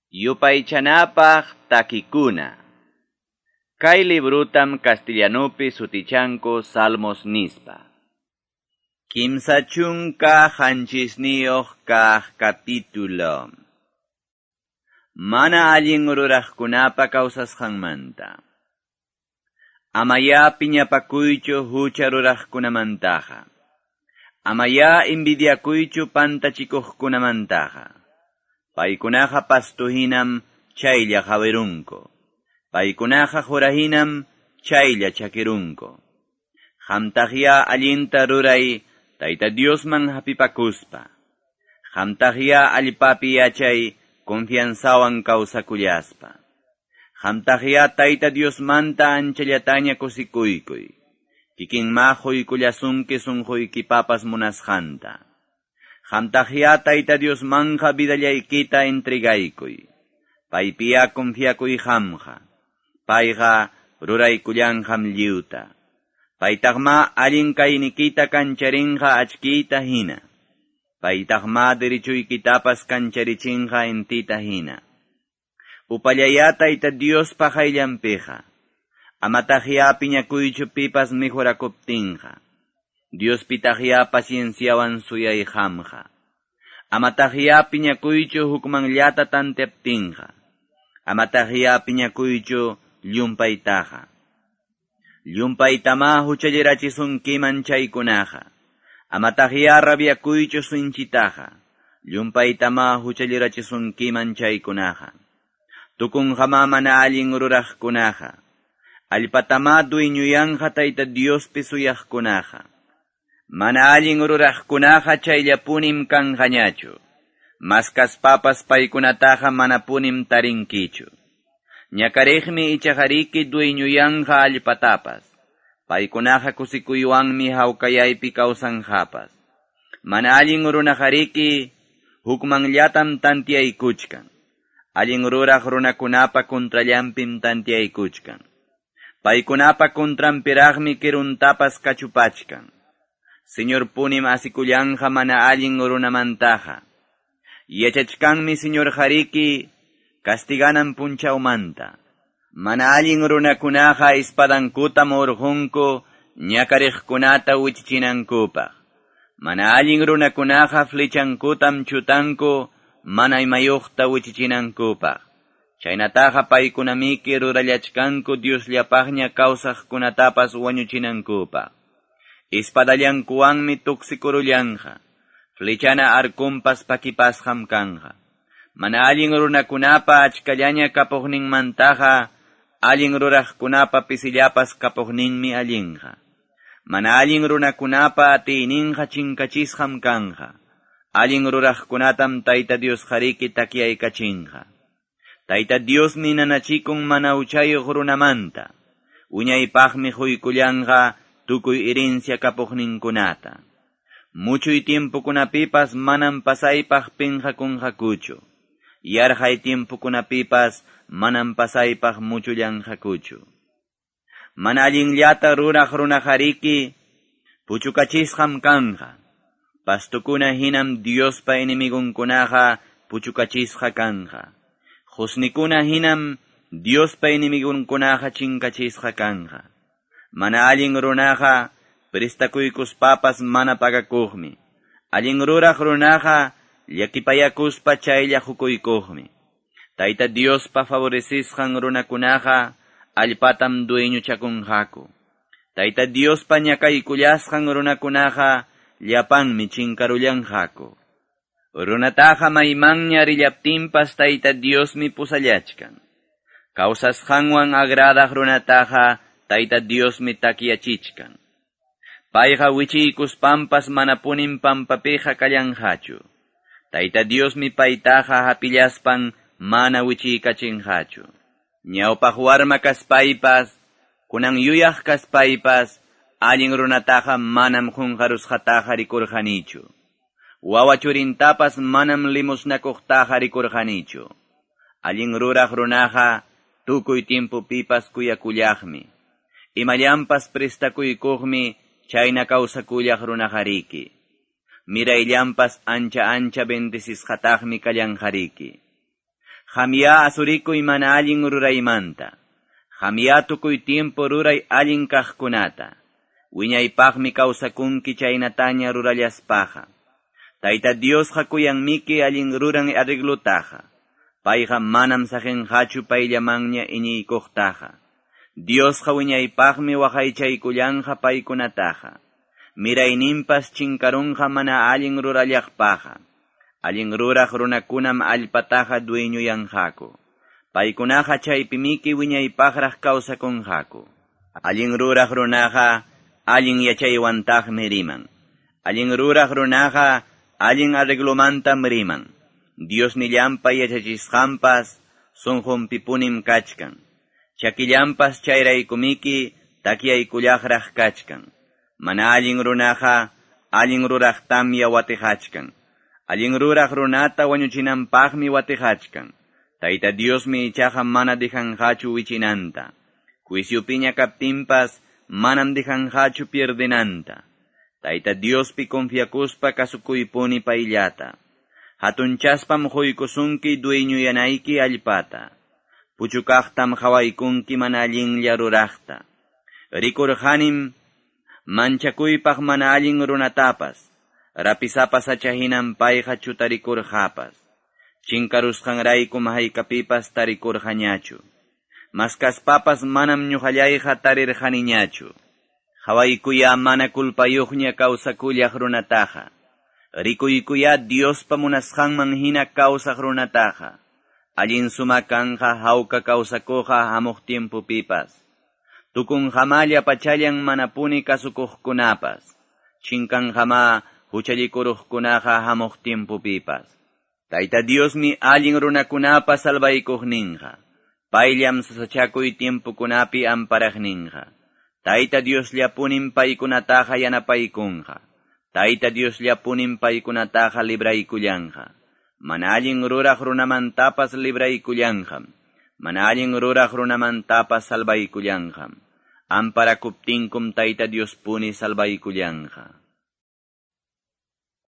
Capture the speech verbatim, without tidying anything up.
Yupaychanapaq takikuna. Kay librutam castellanupi sutichanku Salmos nispa. Kimsa chunka qanchisniyuq kaq capítulo. Mana allin ruraqkunapa kawsasqanmanta. Amaya piñapakuychu hucha ruraqkunamantaqa. Amaya envidiakuychu pantachikuqkunamantaqa. Paykunaqa pastuhinam chaylla qawirunku. Paykunaqa qurahinam chaylla chakirunku. Qamtaqya allinta ruray Tayta Diosman hapipakuspa. Qamtaqya allpapi yachay confianzawan kawsakullaspa. Qamtaqya Tayta Diosmanta anchallataña kusikuykuy. Kikinma quykullasunki sunquykipapas munasqanta. Qamtaqya Tayta Diosmanja vidallaykita entregaykuy. Paypiya confiakuy qamqa. Payqa ruraykullanqam lliwta. Paytaqma allin kaynikita kancharinqa achkiyta hina. Paytaqma derechuykitapas kancharichinqa intita hina. Upallaya Tayta Diospa qayllanpiqa. Amataqya piñakuychu pipas mejorakuptinqa. Diospitaqya pacienciawan suyay qamqa. Amataqya piñakuychu hukmanllata tanteaptinqa. Amataqya piñakuychu llumpaytaqa. Llumpaytama huchallirachisunkiman chaykunaqa. Amataqya rabiakuychu sinchitaqa. Llumpaytama huchallirachisunkiman chaykunaqa. Tukunqama mana allin ruraqkunaqa. Allpatama dueñuyanqa Tayta Diospi suyaqkunaqa. Mana allin ruraqkunaqa chayllapunim kanqañachu. Maskaspapas paykunataqa manapunim tarinkichu. Ñakariqmi ichaqariki dueñuyanqa allpatapas. Paykunaqa kusikuywanmi hawkayaypi kawsanqapas. Mana allin runaqariki hukmanllatam tantiaykuchkan. Allin ruraq runakunapa contrallanpim tantiaykuchkan. Paykunapa contranpiraqmi kiruntapas kachupachkan. Señor punim asikullanqa mana allin runamantaqa. Yachachkanmi Señor hariki castiganan punchawmanta. Mana allin runakunaqa espadankutam urqunku ñakariqkunata wichichinankupaq. Mana allin runakunaqa flechankutam chutanku mana imayuqta wichichinankupaq. Chaynataqa paykunamiki rurallachkanku Diosllapaqña kawsaqkunatapas wañuchinankupaq. Espadallankuwanmi tuksikurullanqa. Flechana arkumpas pakipasqam kanqa. Mana allin runakunapa achkallaña kapuqninmantaqa, allin ruraqkunapa pisillapas kapuqninmi allinqa. Mana allin runakunapa atiyninqa chinkachisqam kanqa. Allin ruraqkunatam Tayta Dios hariki takyaykachinqa. Tayta Diosmi nanachikun mana huchayuq runamanta. Wiñaypaqmi quykullanqa tukuy herencia kapuqninkunata. Muchuy tiempokunapipas manam pasaypaq pinqakunqakuchu. Yarqay tiempokunapipas manam pasaypaq muchullanqakuchu. Mana allinllata ruraq runaqariki puchukachisqam kanqa. Pastukuna hinam Diospa enemigunkunaqa puchukachisqa kanqa. Qusnikuna hinam Diospa enemigunkunaqa chinkachisqa kanqa. Mana allin runaqa prestakuykuspapas mana pagakuqmi. Allin ruraq runaqa llakipayakuspa chaylla hukuykuqmi. Tayta Diospa favorecisqan runakunaqa allpatam dueñuchakunqaku. Tayta Diospa ñakaykullasqan runakunaqa llapanmi chinkarullanqaku. Runataqa maymanña rillaptinpas Tayta Diosmi pusallachkan. Kawsasqanwan agradaq runataqa Tayta Diosmi takyachichkan. Payqa wichiykuspampas manapunim pampapiqa kallanqachu. Tayta Diosmi paytaqa hapillaspan mana wichiykachinqachu. Ñawpaq warma kaspaypas, kunan yuyaq kaspaypas, allin runataqa manam qunqarusqataqa rikurqanichu. Wawa churintapas manam limusnakuqtaqa rikurqanichu. Allin ruraq runaqa tukuy tiempopipas kuyakullaqmi. Imallampas prestakuykuqmi chayna kawsakullaq runaqariki. Mirayllampas ancha ancha bendecisqataqmi kallanqariki. Qamyá asurikuy mana allin ruraymanta. Qamyá tukuy tiempo ruray allin kaqkunata. Wiñaypaqmi kawsakunki chaynataña rurallaspaqa. Tayta Diosqa kuyanmiki allin ruran arreglutaqa. Payqa manam saqinqachu payllamanña iñiykuqtaqa. Diosqa wiñaypaqmi waqaychaykullanqa paykunataqa. Mirayninpas chinkarunqa mana allin rurallaqpaqa. Allin ruraq runakunam allpataqa dueñuyanqaku. Paykunaqa chaypimiki wiñaypaqraq kawsakunqaku. Allin ruraq runaqa allin yachaywantaqmi riman. Allin ruraq runaqa allin arreglomantam riman. Diosnillanpa yachachisqanpas sunqunpipunim kachkan. Chakillanpas chayraykumiki takyaykullaqraq kachkan. Mana allin runaqa allin ruraqtamya watijachkan. Allin ruraq runata wañuchinanpaqmi watijachkan. Tayta Diosmi ichaqa mana dejanqachu wichinanta. Juiciopiña kaptinpas manam dejanqachu pierdenanta. Tayta Diospi confiakuspa kasukuypuni payllata. Hatunchaspam quykusunki dueñuyanayki allpata. Puchukaqtam qhawaykunki mana allinlla ruraqta. Rikurqanim manchakuypaq mana allin runatapas. Rapisapa sachahinam payqa chutarikurqapas. Chinkarusqanraykum haykapipas tarikurqañachu. Maskaspapas manam ñuqallayqa tarirqaniñachu. Qhawaykuya mana kulpayuqña kawsakullaq runataqa. Rikuykuya Diospa munasqanman hina kawsaq runataqa. Allin suma kanqa hawka kawsakuqa hamuq tiempopipas. Tukunqamalla pachallan manapuni kasukuqkunapas. Chinkanqama huchallikuruqkunaqa hamuq tiempopipas. Tayta Diosmi allin runakunapa salvaykuqninqa. Payllam sasachakuy tiempokunapi amparaqninqa. Tayta Diosllapunim paykunataqa yanapaykunqa. Tayta Diosllapunim paykunataqa libraykullanqa. Mana allin ruraq runamantapas libraykullanqam. Mana allin ruraq runamantapas salvaykullanqam. Amparakuptinkum Tayta Diospuni salvaykullanqa.